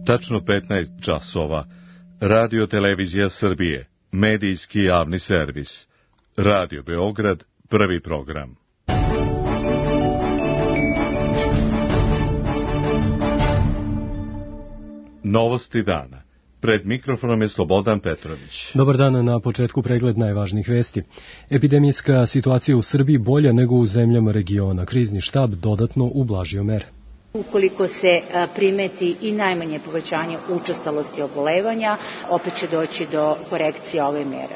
Tačno 15 časova. Radio Televizija Srbije. Medijski javni servis. Radio Beograd, prvi program. Novosti dana. Pred mikrofonom je Slobodan Petrović. Dobar dan, na početku pregled najvažnijih vesti. Epidemijska situacija u Srbiji bolja nego u zemljama regiona. Krizni štab dodatno ublažio mere. Ukoliko se primeti i najmanje povećanje učestalosti obolevanja, opet će doći do korekcije ove mere.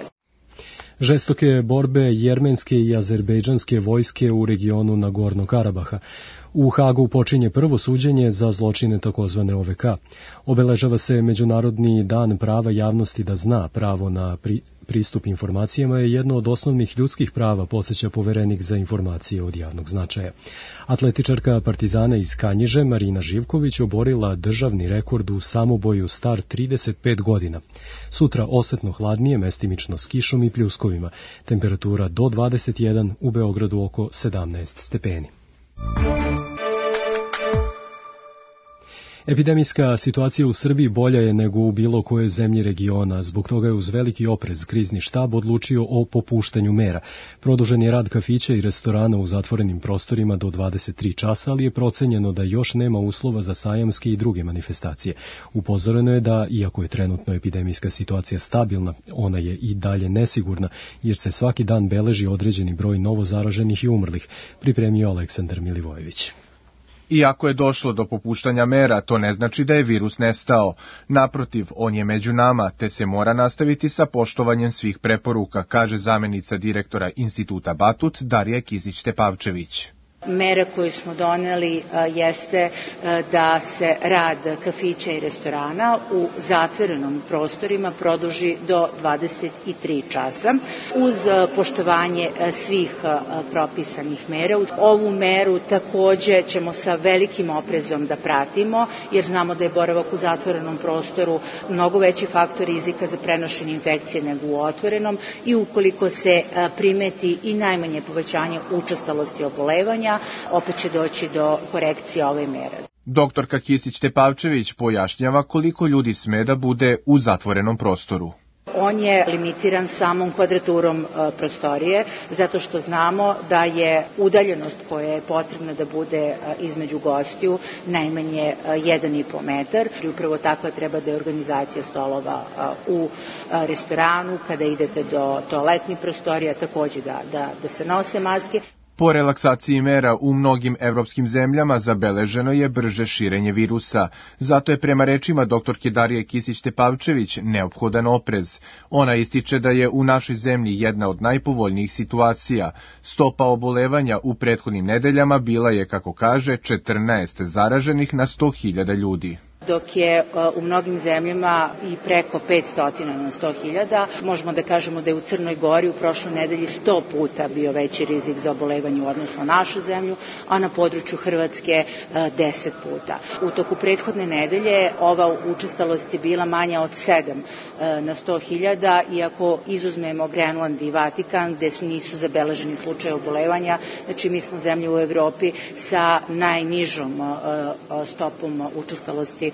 Žestoke borbe jermenske i azerbejdžanske vojske u regionu Nagorno Karabaha. U Hagu počinje prvo suđenje za zločine takozvane OVK. Obeležava se Međunarodni dan prava javnosti da zna. Pravo na pristup informacijama je jedno od osnovnih ljudskih prava, podsjeća Poverenik za informacije od javnog značaja. Atletičarka Partizana iz Kanjiže Marina Živković oborila državni rekord u samoboju star 35 godina. Sutra osetno hladnije, mestimično s kišom i pljuskovima. Temperatura do 21, u Beogradu oko 17 stepeni. Epidemijska situacija u Srbiji bolja je nego u bilo kojoj zemlji regiona. Zbog toga je uz veliki oprez krizni štab odlučio o popuštanju mera. Produžen je rad kafića i restorana u zatvorenim prostorima do 23 časa, ali je procenjeno da još nema uslova za sajamske i druge manifestacije. Upozoreno je da, iako je trenutno epidemijska situacija stabilna, ona je i dalje nesigurna, jer se svaki dan beleži određeni broj novozaraženih i umrlih, pripremio Aleksandar Milivojević. Iako je došlo do popuštanja mera, to ne znači da je virus nestao. Naprotiv, on je među nama, te se mora nastaviti sa poštovanjem svih preporuka, kaže zamenica direktora Instituta Batut Darija Kisić-Tepavčević. Mera koju smo doneli jeste da se rad kafića i restorana u zatvorenom prostorima produži do 23 časa uz poštovanje svih propisanih mera. Ovu meru takođe ćemo sa velikim oprezom da pratimo, jer znamo da je boravak u zatvorenom prostoru mnogo veći faktor rizika za prenošenje infekcije nego u otvorenom i ukoliko se primeti i najmanje povećanje učestalosti obolevanja, opet će doći do korekcije ove mere. Doktorka Kisić-Tepavčević pojašnjava koliko ljudi sme da bude u zatvorenom prostoru. On je limitiran samom kvadraturom prostorije, zato što znamo da je udaljenost koja je potrebna da bude između gostiju najmanje 1,5 metar. I upravo takva treba da je organizacija stolova u restoranu, kada idete do toaletnih prostorija, takođe da se nose maske. Po relaksaciji mera u mnogim evropskim zemljama zabeleženo je brže širenje virusa. Zato je prema rečima doktorke Darije Kisić-Tepavčević neophodan oprez. Ona ističe da je u našoj zemlji jedna od najpovoljnijih situacija. Stopa obolevanja u prethodnim nedeljama bila je, kako kaže, 14 zaraženih na 100.000 ljudi. Dok je u mnogim zemljama i preko 500 na 100.000, možemo da kažemo da je u Crnoj Gori u prošloj nedelji 100 puta bio veći rizik za obolevanje u odnosu na našu zemlju, a na području Hrvatske 10 puta. U toku prethodne nedelje ova učestalost je bila manja od 7 na 100.000, iako izuzmemo Grenland i Vatikan, gde nisu zabeleženi slučaje obolevanja. Znači, mi smo zemlja u Evropi sa najnižom stopom učestalosti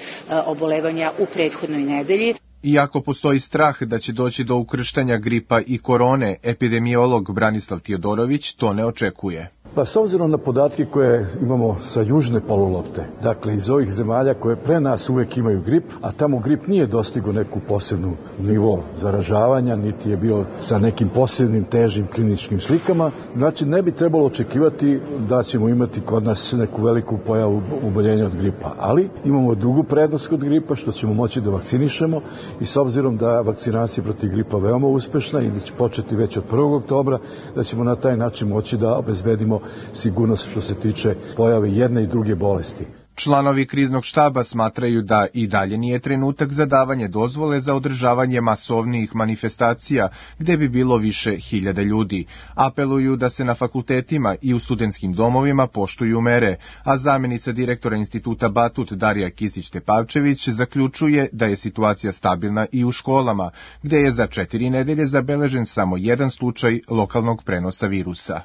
obolevanja u prethodnoj nedelji. Iako postoji strah da će doći do ukrštanja gripa i korone, epidemiolog Branislav Tijodorović to ne očekuje. Pa s obzirom na podatke koje imamo sa južne polulopte, dakle iz ovih zemalja koje pre nas uvek imaju grip, a tamo grip nije dostigao neku posebnu nivo zaražavanja, niti je bio sa nekim posebnim težim kliničkim slikama, znači ne bi trebalo očekivati da ćemo imati kod nas neku veliku pojavu oboljenja od gripa, ali imamo drugu prednost kod gripa, što ćemo moći da vakcinišemo i s obzirom da vakcinacija protiv gripa veoma uspešna i da će početi već od 1. oktobra, da ćemo na taj način moći da obezbedimo sigurnost što se tiče pojave jedne i druge bolesti. Članovi kriznog štaba smatraju da i dalje nije trenutak za davanje dozvole za održavanje masovnijih manifestacija gde bi bilo više hiljada ljudi. Apeluju da se na fakultetima i u studentskim domovima poštuju mere, a zamenica direktora Instituta Batut Darija Kisić-Tepavčević zaključuje da je situacija stabilna i u školama, gde je za 4 nedelje zabeležen samo jedan slučaj lokalnog prenosa virusa.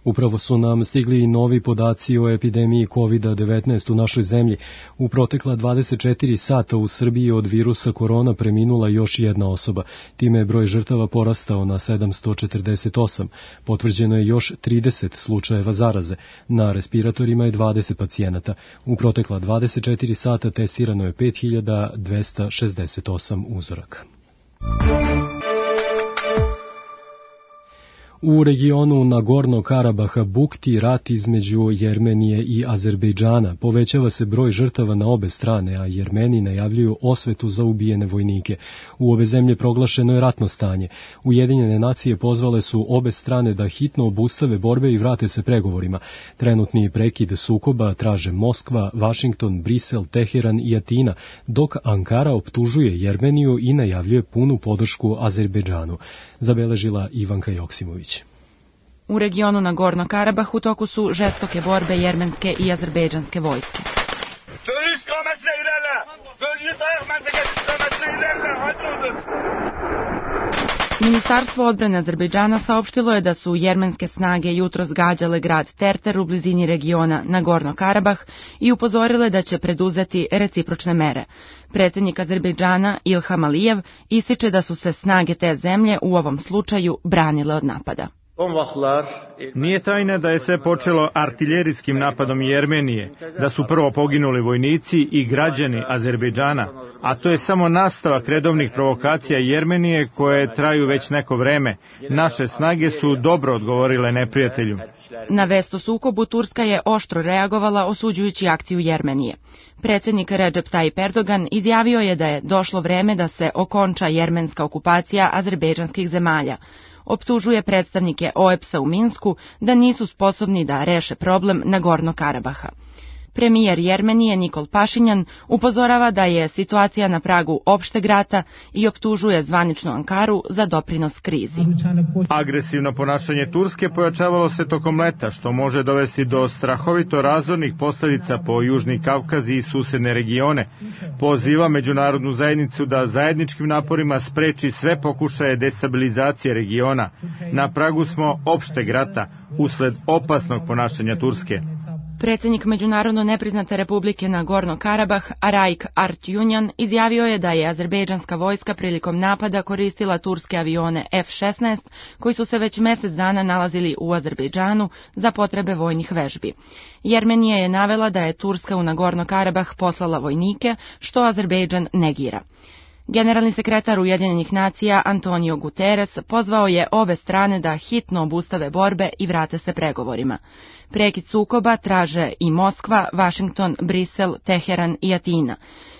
Upravo su nam stigli i novi podaci o epidemiji COVID-19 u našoj zemlji. U protekla 24 sata u Srbiji od virusa korona preminula još jedna osoba. Time je broj žrtava porastao na 748. Potvrđeno je još 30 slučajeva zaraze. Na respiratorima je 20 pacijenata. U protekla 24 sata testirano je 5268 uzoraka. U regionu Nagorno Karabaha bukti rat između Jermenije i Azerbejdžana. Povećava se broj žrtava na obe strane, a Jermeni najavljuju osvetu za ubijene vojnike. U obe zemlje proglašeno je ratno stanje. Ujedinjene nacije pozvale su obe strane da hitno obustave borbe i vrate se pregovorima. Trenutni prekid sukoba traže Moskva, Vašington, Brisel, Teheran i Atina, dok Ankara optužuje Jermeniju i najavljuje punu podršku Azerbejdžanu. Zabeležila Ivanka Joksimović. U regionu Nagorno Karabah u toku su žestoke borbe jermenske i azerbejdžanske vojske. Ministarstvo odbrane Azerbejdžana saopštilo je da su jermenske snage jutros gađale grad Terter u blizini regiona Nagorno Karabah i upozorile da će preduzeti recipročne mere. Predsjednik Azerbejdžana Ilham Alijev ističe da su se snage te zemlje u ovom slučaju branile od napada. Nije tajna da je sve počelo artiljerijskim napadom Jermenije, da su prvo poginuli vojnici i građani Azerbejdžana, a to je samo nastavak redovnih provokacija Jermenije koje traju već neko vreme. Naše snage su dobro odgovorile neprijatelju. Na vest o sukobu Turska je oštro reagovala osuđujući akciju Jermenije. Predsjednik Recep Tayyip Erdogan izjavio je da je došlo vreme da se okonča jermenska okupacija azerbejdžanskih zemalja. Optužuje predstavnike OEBS-a u Minsku da nisu sposobni da reše problem Nagorno Karabaha. Premijer Jermenije Nikol Pašinjan upozorava da je situacija na pragu opšteg rata i optužuje zvaničnu Ankaru za doprinos krizi. Agresivno ponašanje Turske pojačavalo se tokom leta, što može dovesti do strahovito razornih posljedica po Južni Kavkaz i susedne regione. Poziva međunarodnu zajednicu da zajedničkim naporima spreči sve pokušaje destabilizacije regiona. Na pragu smo opšteg rata usled opasnog ponašanja Turske. Predsjednik Međunarodno nepriznate republike Nagorno Karabah, Araik Artyunyan, izjavio je da je azerbejdžanska vojska prilikom napada koristila turske avione F-16, koji su se već mjesec dana nalazili u Azerbejdžanu za potrebe vojnih vežbi. Jermenija je navela da je Turska u Nagorno Karabah poslala vojnike, što Azerbejdžan negira. Generalni sekretar Ujedinjenih nacija Antonio Guterres pozvao je obe strane da hitno obustave borbe i vrate se pregovorima. Prekid sukoba traže i Moskva, Vašington, Brisel, Teheran i Atina.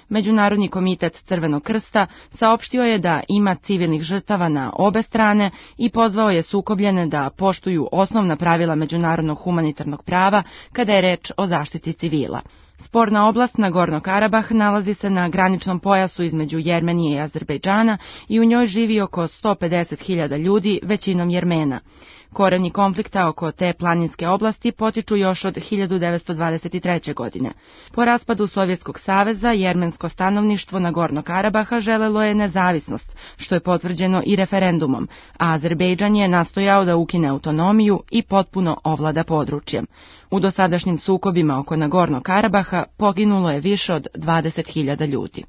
Međunarodni komitet Crvenog krsta saopštio je da ima civilnih žrtava na obe strane i pozvao je sukobljene da poštuju osnovna pravila međunarodnog humanitarnog prava kada je reč o zaštiti civila. Sporna oblast Nagorno Karabah nalazi se na graničnom pojasu između Jermenije i Azerbejdžana i u njoj živi oko 150.000 ljudi, većinom Jermena. Koreni konflikta oko te planinske oblasti potiču još od 1923. godine. Po raspadu Sovjetskog saveza, jermensko stanovništvo Nagorno Karabaha želelo je nezavisnost, što je potvrđeno i referendumom, a Azerbejdžan je nastojao da ukine autonomiju i potpuno ovlada područjem. U dosadašnjim sukobima oko Nagorno Karabaha poginulo je više od 20.000 ljudi.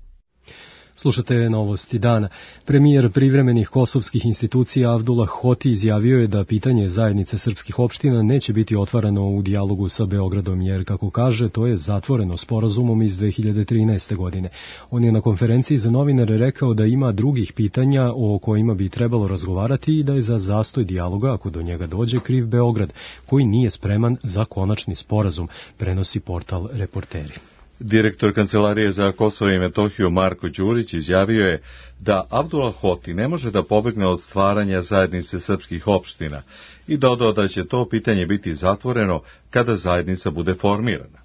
Slušate novosti dana. Premijer privremenih kosovskih institucija Avdullah Hoti izjavio je da pitanje zajednice srpskih opština neće biti otvarano u dijalogu sa Beogradom, jer, kako kaže, to je zatvoreno sporazumom iz 2013. godine. On je na konferenciji za novinare rekao da ima drugih pitanja o kojima bi trebalo razgovarati i da je za zastoj dijaloga, ako do njega dođe, kriv Beograd, koji nije spreman za konačni sporazum, prenosi portal Reporteri. Direktor Kancelarije za Kosovo i Metohiju Marko Đurić izjavio je da Avdullah Hoti ne može da pobegne od stvaranja zajednice srpskih opština i dodao da će to pitanje biti zatvoreno kada zajednica bude formirana.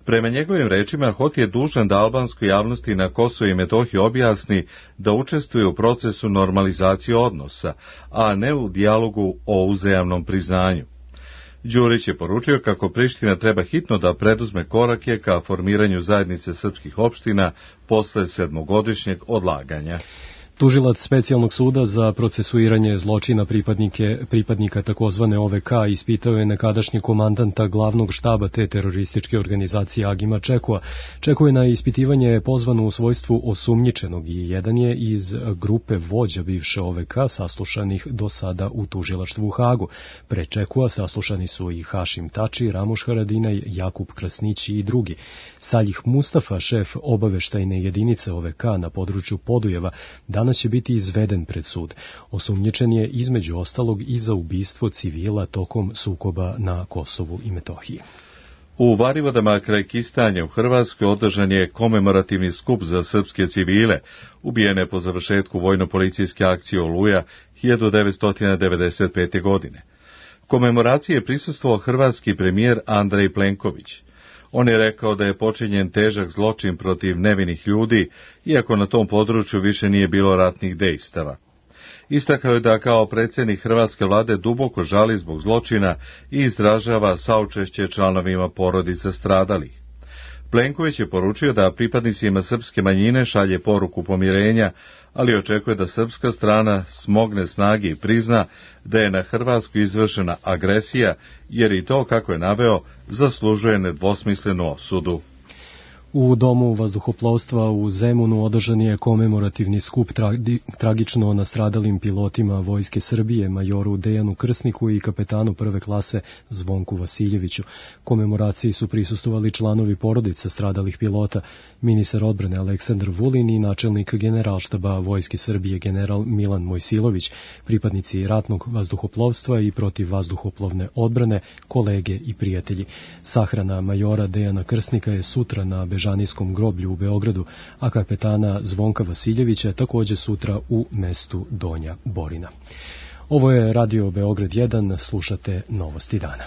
Prema njegovim rečima, Hoti je dužan da albanskoj javnosti na Kosovo i Metohiji objasni da učestvuje u procesu normalizacije odnosa, a ne u dijalogu o uzajamnom priznanju. Đurić je poručio kako Priština treba hitno da preduzme korake ka formiranju zajednice srpskih opština posle 7-godišnjeg odlaganja. Tužilac specijalnog suda za procesuiranje zločina pripadnika takozvane OVK ispitao je nekadašnji komandanta glavnog štaba te terorističke organizacije Agima Čekua. Čeku je na ispitivanje pozvan u svojstvu osumnjičenog i jedan je iz grupe vođa bivše OVK saslušanih do sada u tužilaštvu u Hagu. Pre Čekua saslušani su i Hašim Tači, Ramuš Haradinaj, Jakub Krasnić i drugi. Saljih Mustafa, šef obaveštajne jedinice OVK na području Podujeva, danas će biti izveden pred sud. Osumnjičen je između ostalog i za ubistvo civila tokom sukoba na Kosovu i Metohiji. U Varivodama kraj Kistanja u Hrvatskoj održan je komemorativni skup za srpske civile, ubijene po završetku vojno-policijske akcije Oluja 1995. godine. Komemoraciji je prisustvovao hrvatski premijer Andrej Plenković. On je rekao da je počinjen težak zločin protiv nevinih ljudi, iako na tom području više nije bilo ratnih dejstava. Istakao je da kao predsjednik hrvatske vlade duboko žali zbog zločina i izražava saučešće članovima porodica stradalih. Plenković je poručio da pripadnicima srpske manjine šalje poruku pomirenja, ali očekuje da srpska strana smogne snage i prizna da je na Hrvatsku izvršena agresija, jer i to, kako je naveo, zaslužuje nedvosmislenu osudu. U Domu vazduhoplovstva u Zemunu održan je komemorativni skup tragično nastradalim pilotima Vojske Srbije, majoru Dejanu Krsniku i kapetanu prve klase Zvonku Vasiljeviću. Komemoraciji su prisustvovali članovi porodica stradalih pilota, ministar odbrane Aleksandar Vulin i načelnik generalštaba Vojske Srbije general Milan Mojsilović, pripadnici ratnog vazduhoplovstva i protivvazduhoplovne odbrane, kolege i prijatelji. Sahrana majora Dejana Krsnika je sutra na Bežanijskom groblju u Beogradu, a kapetana Zvonka Vasiljevića također sutra u mestu Donja Borina. Ovo je Radio Beograd 1, slušate Novosti dana.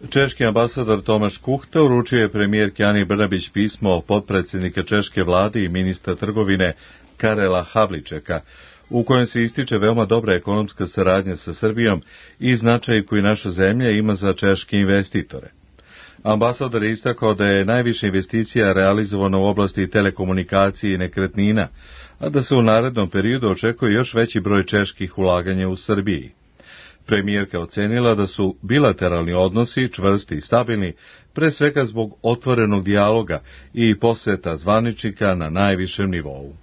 Češki ambasador Tomaš Kuhta uručio je premijerki Ani Brnabić pismo potpredsjednika češke vlade i ministra trgovine Karela Havličeka, u kojem se ističe veoma dobra ekonomska saradnja sa Srbijom i značaj koji naša zemlja ima za češke investitore. Ambasador je istakao da je najviše investicija realizovano u oblasti telekomunikacije i nekretnina, a da se u narednom periodu očekuje još veći broj čeških ulaganja u Srbiji. Premijerka ocenila da su bilateralni odnosi čvrsti i stabilni, pre svega zbog otvorenog dijaloga i posjeta zvaničnika na najvišem nivou.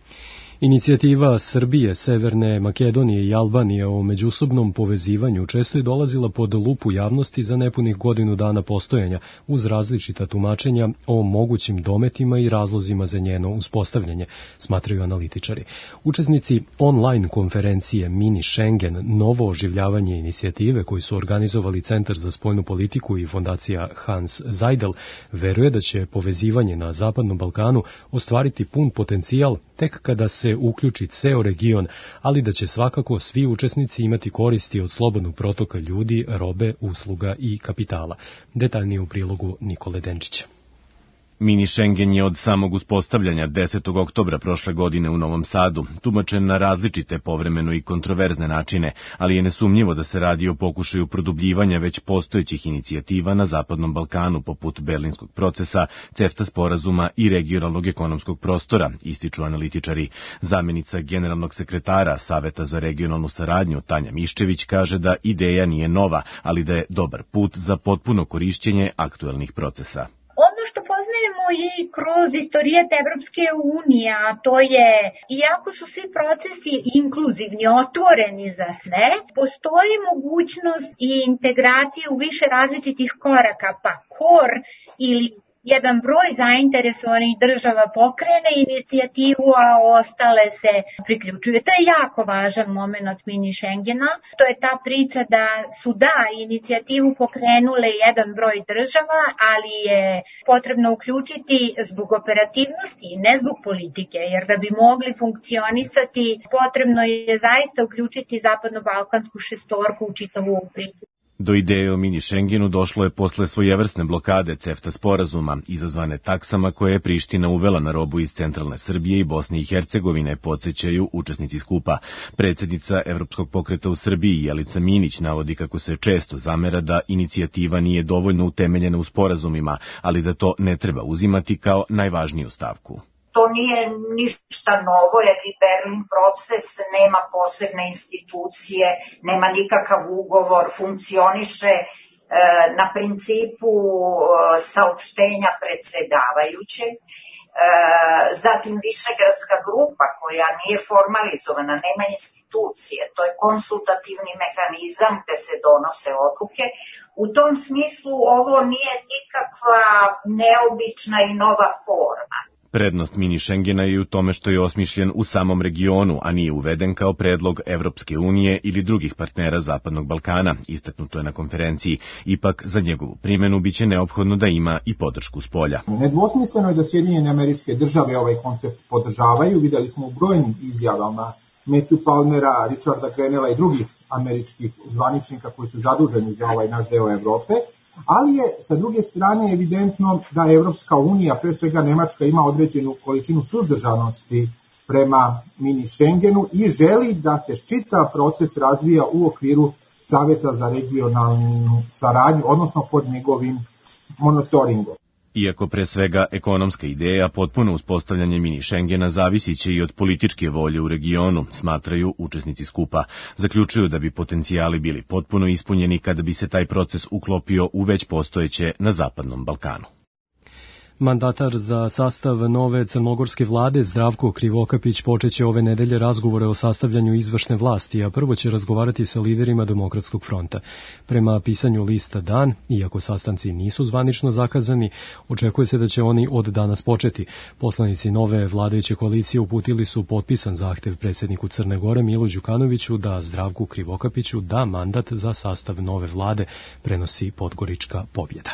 Inicijativa Srbije, Severne Makedonije i Albanije o međusobnom povezivanju često je dolazila pod lupu javnosti za nepunih godinu dana postojanja, uz različita tumačenja o mogućim dometima i razlozima za njeno uspostavljanje, smatraju analitičari. Učesnici online konferencije Mini Schengen, novo oživljavanje inicijative koji su organizovali Centar za spoljnu politiku i fondacija Hans Seidel, veruje da će povezivanje na Zapadnom Balkanu ostvariti pun potencijal tek kada se uključi ceo region, ali da će svakako svi učesnici imati koristi od slobodnog protoka ljudi, robe, usluga i kapitala. Detaljnije u prilogu Nikole Denčića. Mini Schengen je od samog uspostavljanja 10. oktobra prošle godine u Novom Sadu tumačen na različite, povremeno i kontroverzne načine, ali je nesumnjivo da se radi o pokušaju produbljivanja već postojećih inicijativa na Zapadnom Balkanu poput Berlinskog procesa, CEFTA sporazuma i regionalnog ekonomskog prostora, ističu analitičari. Zamjenica generalnog sekretara Saveta za regionalnu saradnju Tanja Miščević kaže da ideja nije nova, ali da je dobar put za potpuno korišćenje aktuelnih procesa. Ono što poznajemo i kroz istorijet Evropske unije, a to je, iako su svi procesi inkluzivni, otvoreni za sve, postoji mogućnost i integracije u više različitih koraka, pa KOR ili jedan broj zainteresovanih država pokrene inicijativu, a ostale se priključuju. To je jako važan moment mini Schengena. To je ta priča da su inicijativu pokrenule jedan broj država, ali je potrebno uključiti zbog operativnosti i ne zbog politike, jer da bi mogli funkcionisati, potrebno je zaista uključiti zapadno-balkansku šestorku u čitavu priču. Do ideje o mini Schengenu došlo je posle svojevrsne blokade CEFTA sporazuma, izazvane taksama koje je Priština uvela na robu iz centralne Srbije i Bosne i Hercegovine, podsjećaju učesnici skupa. Predsjednica Evropskog pokreta u Srbiji, Jelica Minić, navodi kako se često zamera da inicijativa nije dovoljno utemeljena u sporazumima, ali da to ne treba uzimati kao najvažniju stavku. to nije ništa novo, jer i Berlin proces nema posebne institucije, nema nikakav ugovor, funkcioniše na principu saopštenja predsedavajućeg. Zatim Višegradska grupa koja nije formalizovana, nema institucije, to je konsultativni mehanizam gde se donose odluke. U tom smislu ovo nije nikakva neobična i nova forma. Prednost mini Schengena je u tome što je osmišljen u samom regionu, a nije uveden kao predlog Evropske unije ili drugih partnera Zapadnog Balkana, istaknuto je na konferenciji. Ipak, za njegovu primjenu biće neophodno da ima i podršku spolja. Nedvosmisleno je da Sjedinjene Američke Države ovaj koncept podržavaju. Videli smo u brojnim izjavama Matthew Palmera, Richarda Grenella i drugih američkih zvaničnika koji su zaduženi za ovaj naš deo Evrope. Ali je, sa druge strane, evidentno da Evropska unija, pre svega Nemačka, ima određenu količinu suzdržanosti prema mini Schengenu i želi da se čitav proces razvija u okviru Saveta za regionalnu saradnju, odnosno pod njegovim monitoringom. Iako pre svega ekonomska ideja, potpuno uspostavljanje mini Schengena zavisiće i od političke volje u regionu, smatraju učesnici skupa. Zaključuju da bi potencijali bili potpuno ispunjeni kada bi se taj proces uklopio u već postojeće na Zapadnom Balkanu. Mandatar za sastav nove crnogorske vlade Zdravko Krivokapić počeće ove nedelje razgovore o sastavljanju izvršne vlasti, a prvo će razgovarati sa liderima Demokratskog fronta. Prema pisanju lista Dan, iako sastanci nisu zvanično zakazani, očekuje se da će oni od danas početi. Poslanici nove vladajuće koalicije uputili su potpisan zahtev predsjedniku Crne Gore Milu Đukanoviću da Zdravku Krivokapiću da mandat za sastav nove vlade, prenosi Podgorička Pobjeda.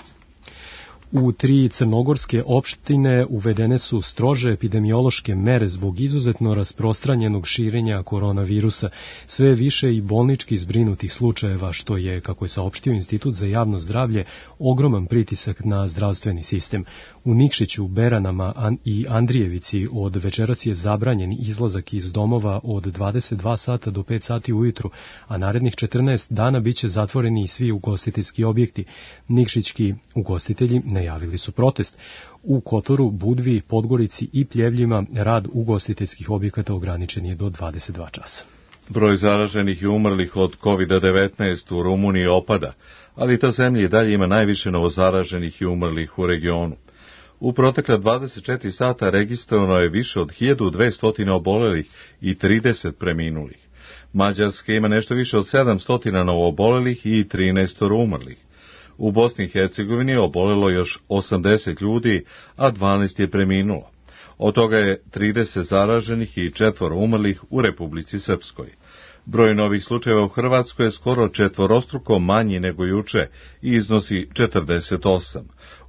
U 3 crnogorske opštine uvedene su strože epidemiološke mere zbog izuzetno rasprostranjenog širenja koronavirusa. Sve više i bolnički zbrinutih slučajeva, što je, kako je saopštio Institut za javno zdravlje, ogroman pritisak na zdravstveni sistem. U Nikšiću, Beranama i Andrijevici od večeras je zabranjen izlazak iz domova od 22 sata do 5 sati ujutru, a narednih 14 dana biće zatvoreni i svi ugostiteljski objekti. Nikšićki ugostitelji najavili su protest. U Kotoru, Budvi, Podgorici i Pljevljima rad ugostiteljskih objekata ograničen je do 22 časa. Broj zaraženih i umrlih od COVID-19 u Rumuniji opada, ali ta zemlja i dalje ima najviše novozaraženih i umrlih u regionu. U protekla 24 sata registrovano je više od 1200 obolelih i 30 preminulih. Mađarska ima nešto više od 700 novoobolelih i 13 umrlih. U Bosni i Hercegovini je obolelo još 80 ljudi, a 12 je preminulo. Od toga je 30 zaraženih i 4 umrlih u Republici Srpskoj. Broj novih slučajeva u Hrvatskoj je skoro četvorostruko manji nego juče i iznosi 48.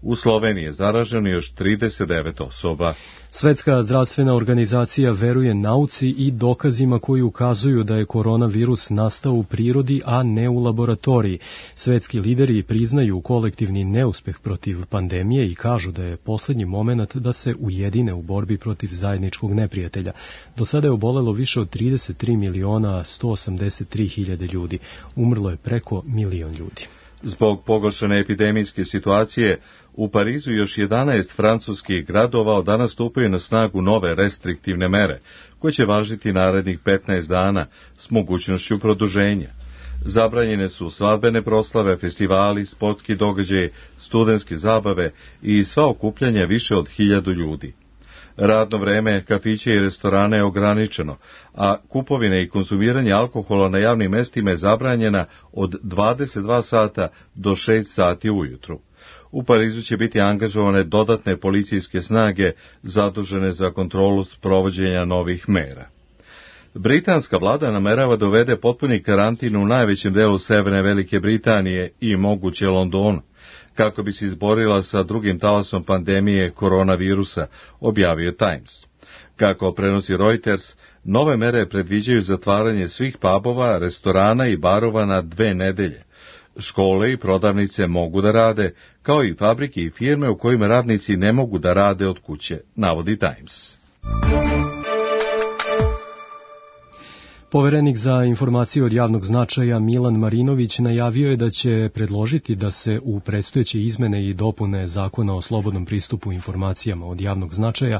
U Sloveniji je zaraženo još 39 osoba. Svetska zdravstvena organizacija veruje nauci i dokazima koji ukazuju da je koronavirus nastao u prirodi, a ne u laboratoriji. Svetski lideri priznaju kolektivni neuspeh protiv pandemije i kažu da je poslednji moment da se ujedine u borbi protiv zajedničkog neprijatelja. Do sada je obolelo više od 33.183.000 ljudi. Umrlo je preko 1 milion ljudi. Zbog pogoršane epidemijske situacije, u Parizu još 11 francuskih gradova od danas stupaju na snagu nove restriktivne mere, koje će važiti narednih 15 dana s mogućnošću produženja. Zabranjene su svadbene proslave, festivali, sportski događaji, studentske zabave i sva okupljanja više od 1000 ljudi. Radno vreme kafića i restorana je ograničeno, a kupovine i konzumiranje alkohola na javnim mestima je zabranjena od 22 sata do 6 sati ujutru. U Parizu će biti angažovane dodatne policijske snage zadužene za kontrolu sprovođenja novih mera. Britanska vlada namerava da uvede potpuni karantin u najvećem delu severne Velike Britanije i moguće Londonu, kako bi se izborila sa drugim talasom pandemije koronavirusa, objavio Times. Kako prenosi Reuters, nove mere predviđaju zatvaranje svih pubova, restorana i barova na 2 nedelje. Škole i prodavnice mogu da rade, kao i fabrike i firme u kojima radnici ne mogu da rade od kuće, navodi Times. Poverenik za informacije od javnog značaja Milan Marinović najavio je da će predložiti da se u predstojeće izmene i dopune Zakona o slobodnom pristupu informacijama od javnog značaja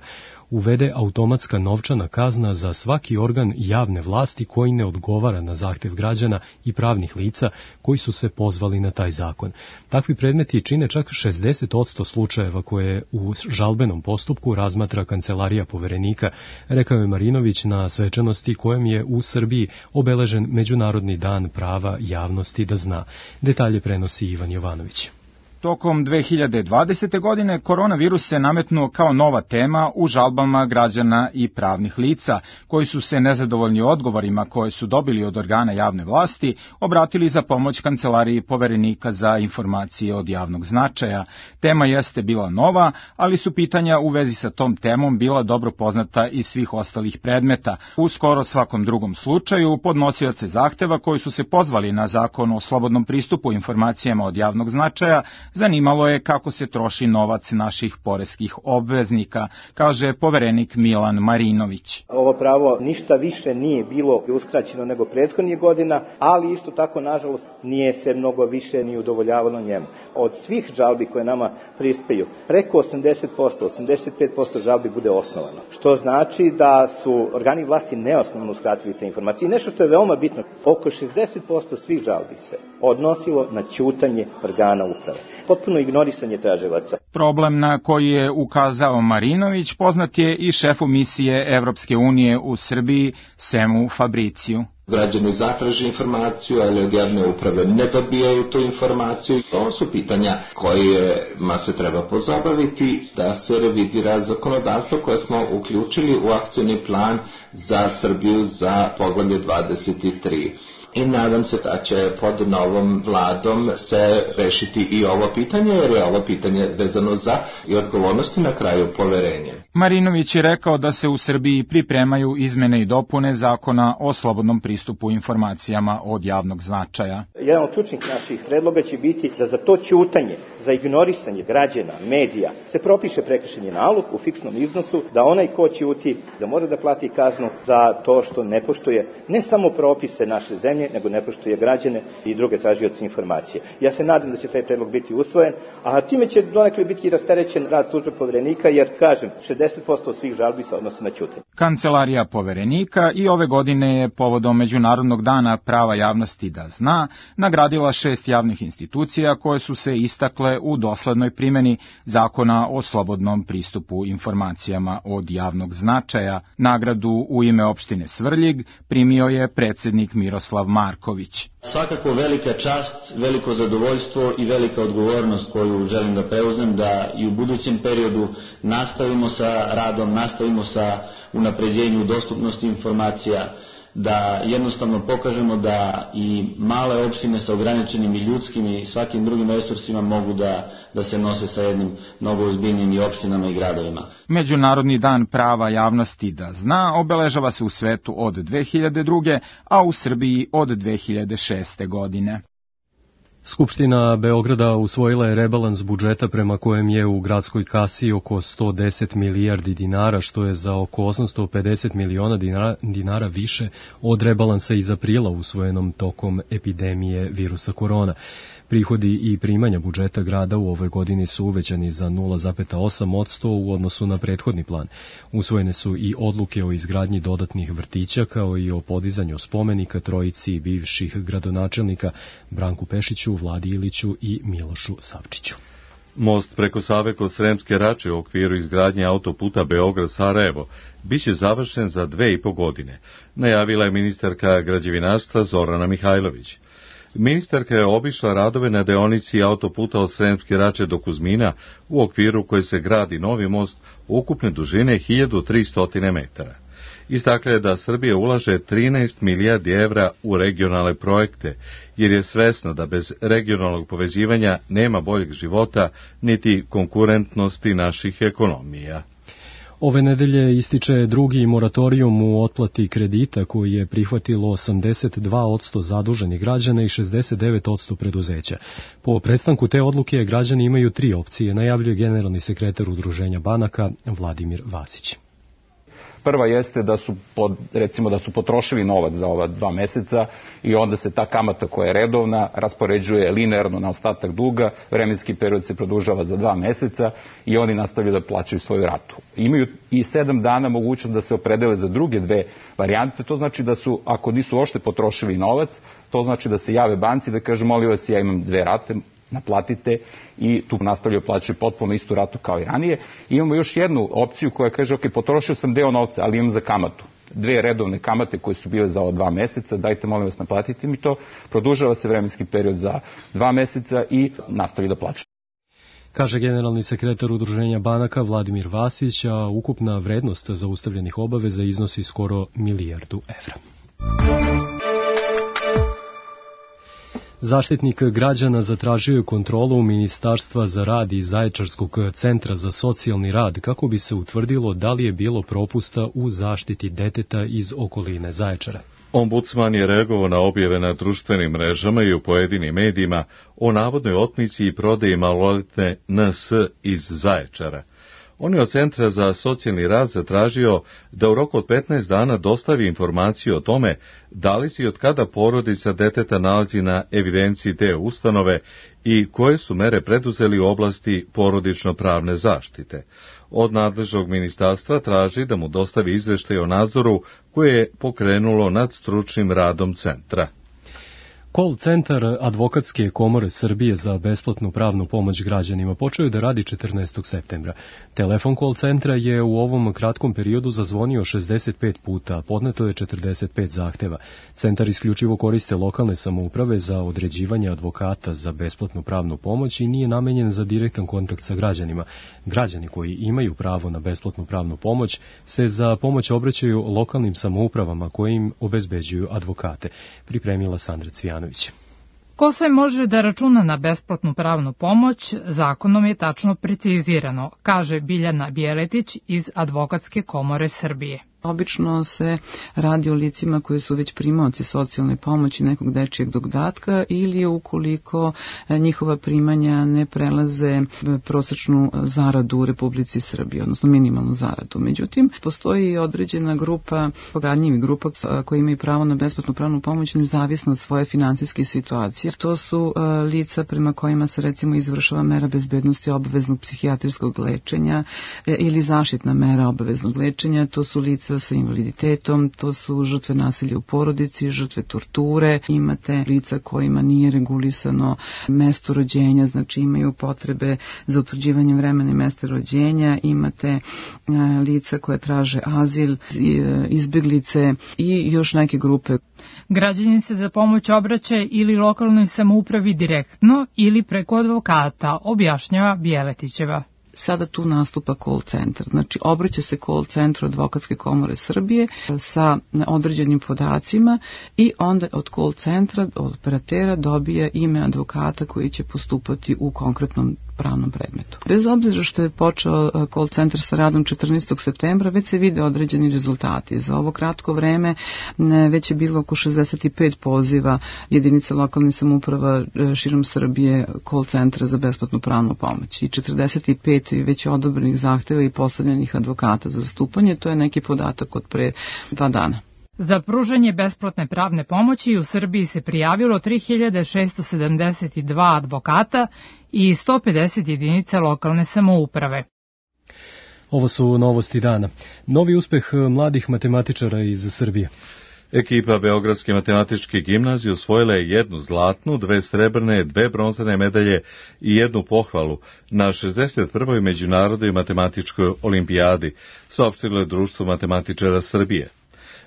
uvede automatska novčana kazna za svaki organ javne vlasti koji ne odgovara na zahtev građana i pravnih lica koji su se pozvali na taj zakon. Takvi predmeti čine čak 60% slučajeva koje u žalbenom postupku razmatra Kancelarija Poverenika, rekao je Marinović na svečanosti kojem je u Srbiji obeležen Međunarodni dan prava javnosti da zna. Detalje prenosi Ivan Jovanović. Tokom 2020. godine koronavirus se nametnuo kao nova tema u žalbama građana i pravnih lica, koji su se nezadovoljni odgovorima koje su dobili od organa javne vlasti obratili za pomoć Kancelariji Poverenika za informacije od javnog značaja. Tema jeste bila nova, ali su pitanja u vezi sa tom temom bila dobro poznata iz svih ostalih predmeta. U skoro svakom drugom slučaju podnosioce zahteva koji su se pozvali na Zakon o slobodnom pristupu informacijama od javnog značaja zanimalo je kako se troši novac naših poreskih obveznika, kaže poverenik Milan Marinović. Ovo pravo ništa više nije bilo uskraćeno nego prethodnih godina, ali isto tako, nažalost, nije se mnogo više ni udovoljavalo njemu. Od svih žalbi koje nama prispaju, preko 80%, 85% žalbi bude osnovano, što znači da su organi vlasti neosnovno uskratili te informacije. Nešto što je veoma bitno, oko 60% svih žalbi se odnosilo na ćutanje organa uprave. Potpuno ignorisanje tražilaca. Problem na koji je ukazao Marinović poznat je i šefu misije Evropske unije u Srbiji, Semu Fabriciju. Građani zatraže informaciju, ali od javne uprave ne dobijaju tu informaciju. Ovo su pitanja kojima se treba pozabaviti da se revidira zakonodavstvo koje smo uključili u akcioni plan za Srbiju za poglavlje 23. I nadam se da će pod novom vladom se rešiti i ovo pitanje, jer je ovo pitanje vezano za i odgovornosti na kraju poverenje. Marinović je rekao da se u Srbiji pripremaju izmene i dopune Zakona o slobodnom pristupu informacijama od javnog značaja. Jedan od ključnih naših predloga će biti da za to ćutanje, za ignorisanje građana, medija, se propiše prekršajni nalog u fiksnom iznosu, da onaj ko ćuti da mora da plati kaznu za to što ne poštuje ne samo propise naše zemlje, nego ne poštuje građane i druge tražioce informacije. Ja se nadam da će taj predlog biti usvojen, a time će donekle biti rasterećen rad službe Poverenika, jer, kažem, 60% svih žalbi se odnosi na ćutanje. Kancelarija Poverenika i ove godine je povodom Međunarodnog dana prava javnosti da zna nagradila 6 javnih institucija koje su se istakle u doslednoj primjeni Zakona o slobodnom pristupu informacijama od javnog značaja. Nagradu u ime opštine Svrljig primio je predsednik Miroslav Marković. Svakako velika čast, veliko zadovoljstvo i velika odgovornost koju želim da preuzmem, da i u budućem periodu nastavimo sa radom, nastavimo sa unapređenju dostupnosti informacija, da jednostavno pokažemo da i male opštine sa ograničenim i ljudskim i svakim drugim resursima mogu da se nose sa jednim mnogo ozbiljnim i opštinama i gradovima. Međunarodni dan prava javnosti da zna obeležava se u svetu od 2002. a u Srbiji od 2006. godine. Skupština Beograda usvojila je rebalans budžeta prema kojem je u gradskoj kasi oko 110 milijardi dinara, što je za oko 850 miliona dinara više od rebalansa iz aprila usvojenom tokom epidemije virusa korona. Prihodi i primanja budžeta grada u ovoj godini su uvećani za 0,8% u odnosu na prethodni plan. Usvojene su i odluke o izgradnji dodatnih vrtića, kao i o podizanju spomenika trojici bivših gradonačelnika Branku Pešiću, Vladi Iliću i Milošu Savčiću. Most preko Save kod Sremske Rače u okviru izgradnje autoputa Beograd-Sarajevo biće završen za 2,5 godine, najavila je ministarka građevinarstva Zorana Mihajlović. Ministarka je obišla radove na deonici autoputa od Sremske Rače do Kuzmina, u okviru koje se gradi novi most ukupne dužine 1300 metara. Istakla je da Srbija ulaže 13 milijardi evra u regionalne projekte, jer je svesna da bez regionalnog povezivanja nema boljeg života niti konkurentnosti naših ekonomija. Ove nedelje ističe drugi moratorijum u otplati kredita koji je prihvatilo 82% zaduženih građana i 69% preduzeća. Po prestanku te odluke građani imaju 3 opcije, najavljuje generalni sekretar Udruženja banaka Vladimir Vasić. Prva jeste da su, recimo, da su potrošili novac za ova 2 meseca i onda se ta kamata koja je redovna raspoređuje linearno na ostatak duga, vremenski period se produžava za 2 meseca i oni nastavljaju da plaćaju svoju ratu. Imaju i 7 dana mogućnost da se opredele za druge 2 varijante, to znači da su, ako nisu uopšte potrošili novac, to znači da se jave banci da kažu, molim vas, ja imam 2 rate, naplatite, i tu nastavljaju plaćaju potpuno istu ratu kao i ranije. I imamo još jednu opciju koja kaže, ok, potrošio sam deo novca, ali imam za kamatu 2 redovne kamate koje su bile za ova 2 meseca, dajte molim vas naplatite mi to, produžava se vremenski period za 2 meseca i nastavi da plaća. Kaže generalni sekretar Udruženja banaka Vladimir Vasić, a ukupna vrednost zaustavljenih obaveza iznosi skoro 1 milijardu evra. Zaštitnik građana zatražio je kontrolu Ministarstva za rad i Zaječarskog centra za socijalni rad kako bi se utvrdilo da li je bilo propusta u zaštiti deteta iz okoline Zaječara. Ombudsman je reagovao na objave na društvenim mrežama i u pojedinim medijima o navodnoj otmici i prodaji maloletne NS iz Zaječara. On je od Centra za socijalni rad zatražio da u roku od 15 dana dostavi informaciju o tome da li se i od kada porodica deteta nalazi na evidenciji te ustanove i koje su mere preduzeli u oblasti porodično-pravne zaštite. Od nadležnog ministarstva traži da mu dostavi izveštaj o nadzoru koje je pokrenulo nad stručnim radom centra. Call centar Advokatske komore Srbije za besplatnu pravnu pomoć građanima počeo je da radi 14. septembra. Telefon call centra je u ovom kratkom periodu zazvonio 65 puta, podneto je 45 zahteva. Centar isključivo koriste lokalne samouprave za određivanje advokata za besplatnu pravnu pomoć i nije namenjen za direktan kontakt sa građanima. Građani koji imaju pravo na besplatnu pravnu pomoć se za pomoć obraćaju lokalnim samoupravama koje im obezbeđuju advokate, pripremila Sandra Cvijanović. Ko sve može da računa na besplatnu pravnu pomoć, zakonom je tačno precizirano, kaže Biljana Bjeletić iz Advokatske komore Srbije. Obično se radi o licima koji su već primaoci socijalne pomoći nekog dečijeg dodatka ili ukoliko njihova primanja ne prelaze prosečnu zaradu u Republici Srbiji, odnosno minimalnu zaradu. Međutim, postoji i određena grupa, ranjivih grupa koji imaju pravo na besplatnu pravnu pomoć nezavisno od svoje finansijske situacije. To su lica prema kojima se recimo izvršava mera bezbednosti obaveznog psihijatrijskog lečenja ili zaštitna mera obaveznog lečenja. To su lica sa invaliditetom, to su žrtve nasilja u porodici, žrtve torture, imate lica kojima nije regulisano mesto rođenja, znači imaju potrebe za utvrđivanje vremena i mesta rođenja, imate lica koje traže azil, izbeglice i još neke grupe. Građanin se za pomoć obraća ili lokalnoj samoupravi direktno ili preko advokata, objašnjava Bjeletićeva. Sada tu nastupa call centar. Znači, obraća se call centru Advokatske komore Srbije sa određenim podacima i onda od call centra, od operatera dobija ime advokata koji će postupati u konkretnom pravnom predmetu. Bez obzira što je počeo call centar sa radom 14. septembra, već se vide određeni rezultati. Za ovo kratko vreme već je bilo oko 65 poziva jedinice lokalne samouprava širom Srbije call centra za besplatnu pravnu pomoć i 45 već odobrenih zahteva i postavljenih advokata za zastupanje. To je neki podatak od pre 2 dana. Za pružanje besplatne pravne pomoći u Srbiji se prijavilo 3672 advokata i 150 jedinica lokalne samouprave. Ovo su novosti dana. Novi uspeh mladih matematičara iz Srbije. Ekipa Beogradske matematičke gimnazije osvojila je 1 zlatnu, 2 srebrne, 2 bronzane medalje i 1 pohvalu na 61. međunarodnoj matematičkoj olimpijadi, saopštilo je Društvo matematičara Srbije.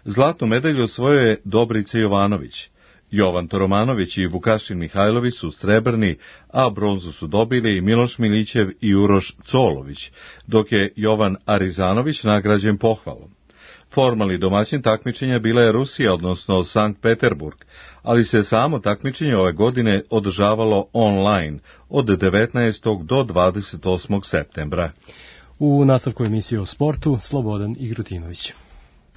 Zlatnu medalju osvojio je Dobrica Jovanović. Jovan Toromanović i Vukašin Mihajlović su srebrni, a bronzu su dobili Miloš Milićev i Uroš Colović, dok je Jovan Arizanović nagrađen pohvalom. Formalni domaćin takmičenja bila je Rusija, odnosno Sankt Peterburg, ali se samo takmičenje ove godine održavalo online od 19. do 28. septembra. U nastavku emisije o sportu, Slobodan Igrutinović.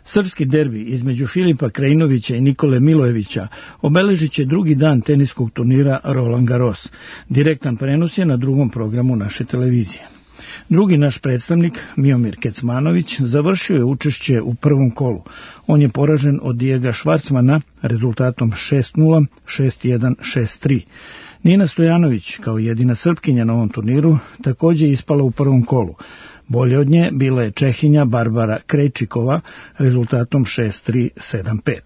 Srpski derbi između Filipa Krajinovića i Nikole Milojevića obeležit će drugi dan teniskog turnira Roland Garros. Direktan prenos je na drugom programu naše televizije. Drugi naš predstavnik, Miomir Kecmanović, završio je učešće u prvom kolu. On je poražen od Dijega Švarcmana rezultatom 6-0, 6-1, 6-3. Nina Stojanović, kao jedina Srpkinja na ovom turniru, također ispala u prvom kolu. Bolje od nje bila je Čehinja Barbara Krejčikova rezultatom 6-3, 7-5.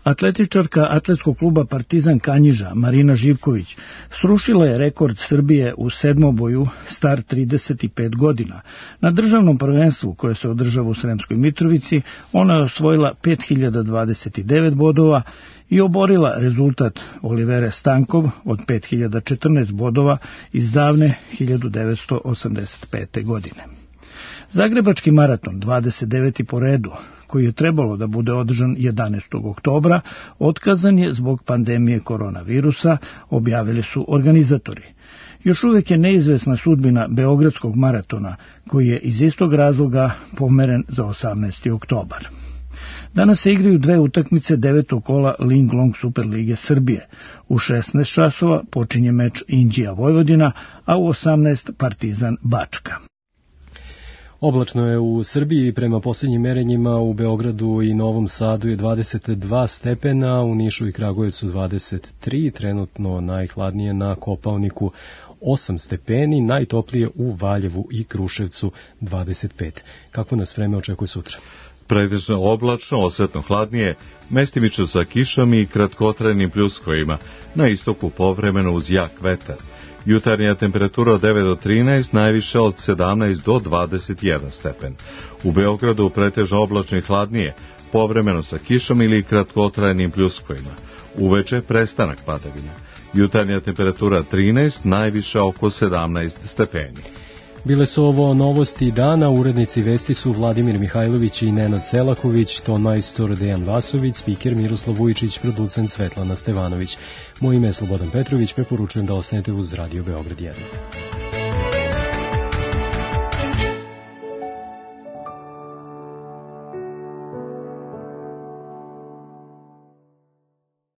Atletičarka atletskog kluba Partizan Kanjiža, Marina Živković, srušila je rekord Srbije u sedmoboju star 35 godina. Na državnom prvenstvu koje se održava u Sremskoj Mitrovici, ona je osvojila 5029 bodova i oborila rezultat Olivere Stankov od 5014 bodova iz davne 1985. godine. Zagrebački maraton, 29. po redu, koji je trebalo da bude održan 11. oktobra, otkazan je zbog pandemije koronavirusa, objavili su organizatori. Još uvijek je neizvesna sudbina Beogradskog maratona, koji je iz istog razloga pomeren za 18. oktobar. Danas se igraju dve utakmice 9. kola Linglong Superlige Srbije. U 16 časova počinje meč Inđija Vojvodina, a u 18 Partizan Bačka. Oblačno je u Srbiji, prema posljednjim merenjima u Beogradu i Novom Sadu je 22 stepena, u Nišu i Kragujevcu 23, trenutno najhladnije na Kopaoniku 8 stepeni, najtoplije u Valjevu i Kruševcu 25. Kako nas vreme očekuje sutra? Pretežno oblačno, osetno hladnije, mestimično sa kišom i kratkotrajnim pljuskovima, na istoku povremeno uz jak vetar. Jutarnja temperatura od 9 do 13, najviše od 17 do 21 stepen. U Beogradu pretežno oblačno i hladnije, povremeno sa kišom ili kratkotrajnim pljuskovima. Uveče prestanak padavina. Jutarnja temperatura 13, najviše oko 17 stepeni. Bile su ovo novosti dana, urednici vesti su Vladimir Mihajlović i Nenad Selaković, tonmajstor Dejan Vasović, spiker Miroslav Vujičić, producent Svetlana Stevanović. Moje ime je Slobodan Petrović, preporučujem da ostanete uz Radio Beograd 1.